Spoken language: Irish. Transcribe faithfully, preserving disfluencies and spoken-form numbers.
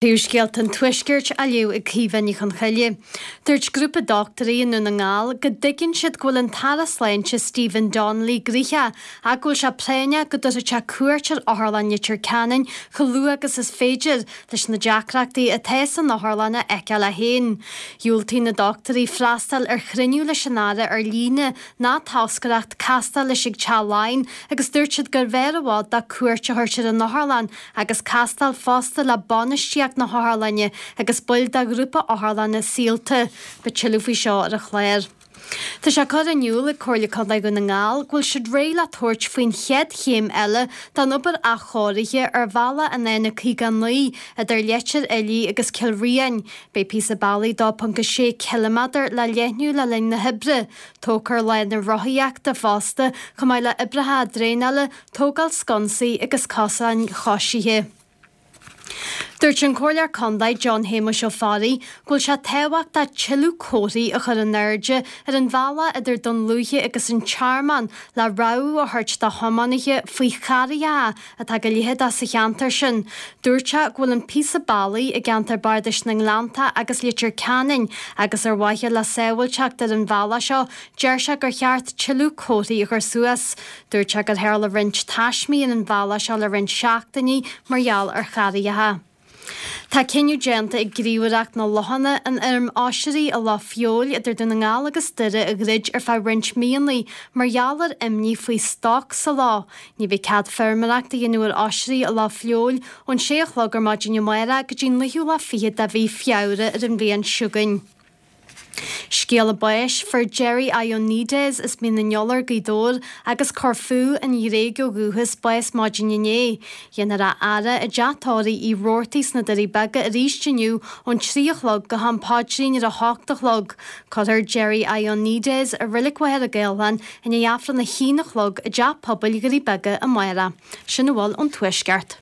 Príomhscéalta an Tuaiscirt á léamh ag Caoimhe Ní Chonchoille. Dúirt grúpa dochtúirí i nDún na nGall go dtuigeann siad go bhfuil an tAire Sláinte Stephen Donnelly gnoitheach ach go bhfuil sé práinneach go dtabharfaidh sé cuairt ar Otharlann Leitir Ceanainn chomh luath agus is féidir leis na deacrachtaí atá san otharlann a fheiceáil é féin. Dhiúltaigh na dochtúirí freastal ar chruinniú leis an Aire ar líne ná toscaireacht castáil leis ag Teach Laighean agus dúirt siad gurbh fhearr i bhfad dó cuairt a thabhairt ar an otharlann agus castáil fosta le bainistíocht na hotharlainne agus baill de ghrúpa otharlanna Saolta. Beidh tuilleadh faoi seo ar an chlár. Tá sé curtha in iúl ag Comhairle Contae Dhún na nGall go bhfuil siad réidh le tabhairt faoin chéad chéim eile den obair athchóirithe ar bhealach an N caoga naoi idir Leitir Fhiilí agus Cill Riain. Beidh píosa bealaigh dó ponc a sé ciliméadar le leathnú le linn na hoibre. Tógfar lána rothaíochta fosta, chomh maith le oibreacha draenála, tógáil sconsaí agus cosáin choisithe. Dúirt an Comhairleoir Contae John Shéamuis Ó Fearraigh go bhfuil sé tábhachtach tuilleadh comharthaí a chur in airde ar an bhealach idir Dún Lúiche agus an Tearmann le rabhadh a thabhairt do thiománaithe faoi charraigeacha atá go leitheadach sa cheantar sin. Dúirt sé go bhfuil an píosa bealaigh i gceantar Bardais na nGleannta agus Leitir Ceanainn agus ar mhaithe le sábháilteacht ar an bhealach seo deir sé gur cheart tuilleadh comharthaí a chur suas. Dúirt sé gur tharla roinnt taismí ar an bhealach seo le roinnt seachtainí mar gheall ar charraigeacha. Tá cinneadh déanta ag Gníomhaireacht na Lochanna an fheirm oisrí i Loch Feabhail idir Dún na nGall agus Doire a dhruid ar feadh roinnt míonna mar gheall ar imní faoi stoc sa loch. Ní bheidh cead feirmeoireacht a dhéanamh ar oisrí i Loch Feabhail ón sé a chlog ar maidin amárach go dtí naoú lá fichead de mhí Feabhra ar an bhliain seo chugainn. Scéala báis fuair Jerry Ioannidis as Mín an Iolair Gaoth Dobhair agus Corfú an Ghréig ó dhúchas bás maidin inné. Dhéanfar a fhaire i dteach tórraimh Uí Robhartaigh sna Doirí Beaga arís inniu ón trí a chlog go ham paidrín ar a hocht a chlog. Cuirfear Jerry Ioannidis i Reilig Mhachaire Gathlán i ndiaidh Aifreann a haon a chlog i dteach pobail Dhoirí Beaga amárach. Sin a bhfuil ón Tuaisceart.